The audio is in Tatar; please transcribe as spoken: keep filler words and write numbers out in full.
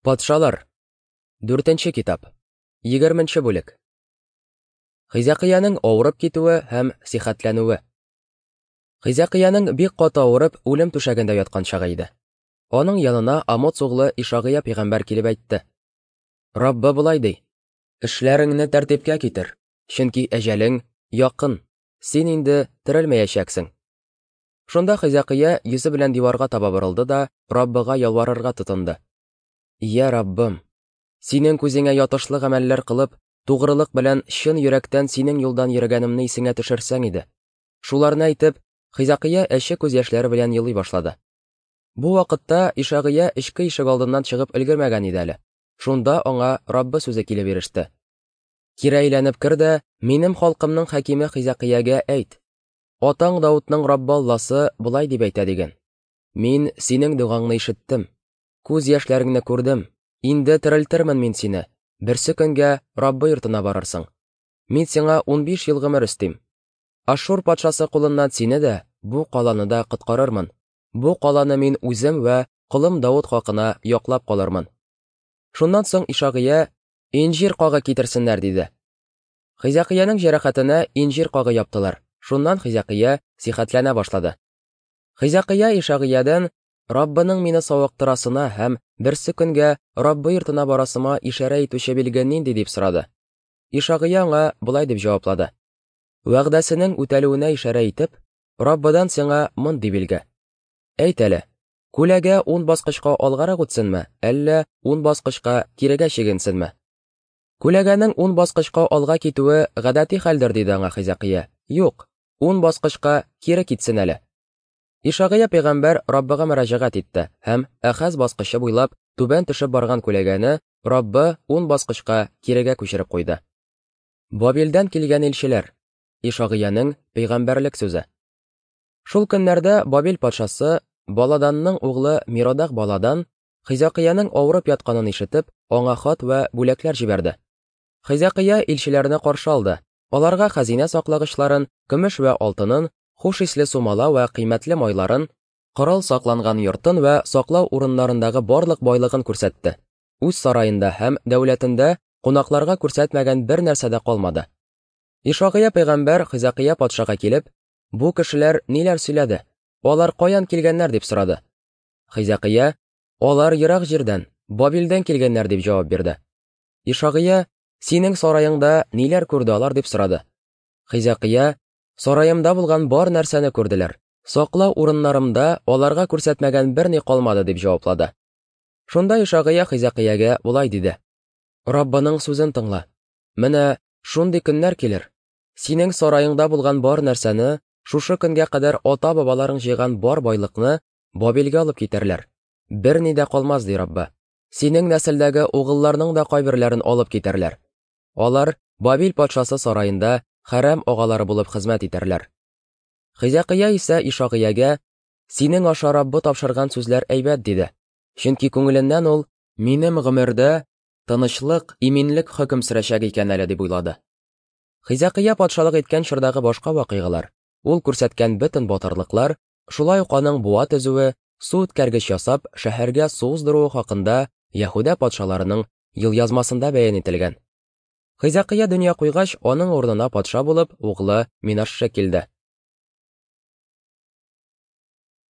Патшалар. Дүртенче китап. Егерменче бүлек. Хизәкыянең авырып китүе һәм сихәтләнүе. Хизәкыянең бик каты авырып, үлем түшәгендә яткан чагы иде. Аның янына Амоц углы Ишагыя пәйгамбәр килеп әйтте: Раббы болай ди: Эшләреңне тәртипкә китер, чөнки әҗәлең якын, син инде терелмәячәксең. Шунда Хизәкыя йөзе белән диварга таба борылды да Раббыга ялварырга тотынды. Йә Раббым, синең күзеңә ятышлы гамәлләр кылып, тугрылык белән чын йөрәктән синең юлдан йөргәнемне исеңә төшерсәң иде. Шуларны әйтеп, Хизәкыя әче күз яшьләре белән елый башлады. Бу вакытта Ишагыя эчке ишек алдыннан чыгып өлгермәгән иде әле. Шунда аңа Раббы сүзе килеп иреште. Кире әйләнеп кер дә, минем халкымның хакиме Хизәкыягә әйт. Атаң Даутның Раббы Алласы болай дип әйтә диген. Мин синең догаңны ишеттем. Күз яшьләреңне күрдем. Инде терелтермен мин сине. Берсе көнгә Раббы йортына барырсың. Мин сиңа унбиш ел гомер өстим. Ашшур патшасы кулыннан сине дә, бу каланы да коткарырмын. Бу каланы мин үзем вә колым Даут хакына яклап калырмын. Шуннан соң Ишагыя инҗир кагы китерсеннәр диде. Хизәкыянең җәрәхәтенә инҗир кагы яптылар. Шуннан Хизәкыя сихәтләнә башлады. Хизәкыя Ишагыядан Раббының мине савыктырасына һәм берсе көнгә Раббы йортына барасыма ишарә итүче билге нинди дип сорады. Ишагыя аңа болай дип җаваплады: Вәгъдәсенең үтәлүенә ишарә итеп, Раббыдан сиңа мондый билге. Әйт әле, күләгә ун баскычка алгарак үтсенме, әллә ун баскычка кирегә чигенсенме? Күләгәнең ун баскычка алга китүе гадәти хәлдер, диде аңа Хизәкыя. Юк, ун баскычка кире китсен әле. Ишагыя пәйгамбәр Раббыга мөрәҗәгать итте һәм Әхаз баскычы буйлап түбән төшеп барган күләгәне Раббы ун баскычка кирегә күчереп куйды. Бабилдән килгән илчеләр. Ишагыяның пәйгамбәрлек сүзе. Шул көннәрдә Бабил патшасы Баладанның углы Миродах Баладан Хизәкыянең авырып ятканын ишетеп, аңа хат вә бүләкләр җибәрде. Хизәкыя илчеләрне каршы алды. Аларга хәзинә саклагычларын, көмеш вә алтынын, хуш исле сумала вә кыйммәтле майларын, корал сакланган йортын вә саклау урыннарындагы барлык байлыгын күрсәтте. Үз сараенда һәм дәүләтендә кунакларга күрсәтмәгән бер нәрсә дә калмады. Ишагыя пәйгамбәр Хизәкыя патшага килеп, бу кешеләр ниләр сөйләде? Алар каян килгәннәр дип сорады. Хизәкыя, алар ерак җирдән, Бабилдән килгәннәр дип җавап бирде. Ишагыя, синең сараеңда ниләр күрде алар дип сорады. Хизәкыя, сараемда булган бар нәрсәне күрделәр. Саклау урыннарымда аларга күрсәтмәгән берни калмады дип җаваплады. Шунда Ишагыя Хизәкыягә болай диде: Раббының сүзен тыңла. Менә шундый көннәр килер. Синең сараеңда булган бар нәрсәне, шушы көнгә кадәр ата-бабаларың җыйган бар байлыкны Бабилгә алып китәрләр. Берни дә калмас, ди Раббы. Синең нәселдәге угылларның да кайберләрен алып китәрләр. Алар Бабил патшасы сараенда хәрәм агалары булып хезмәт итәрләр. Хизәкыя исә Ишагыягә, синең аша Раббы тапшырган сүзләр әйбәт, диде. Чөнки күңеленнән ул, минем гомердә тынычлык, иминлек хөкем сөрәчәк икән әле дип уйлады. Хизәкыя патшалык иткән чордагы башка вакыйгалар, ул күрсәткән бөтен батырлыклар, шулай ук аның буа төзүе, су үткәргеч ясап, шәһәргә су уздыруы хакында Яһүдә патшаларының елъязмасында бәян ителгән. Хизәкыя дөнья куйгач, аның урынына патша булып углы Минашше килде.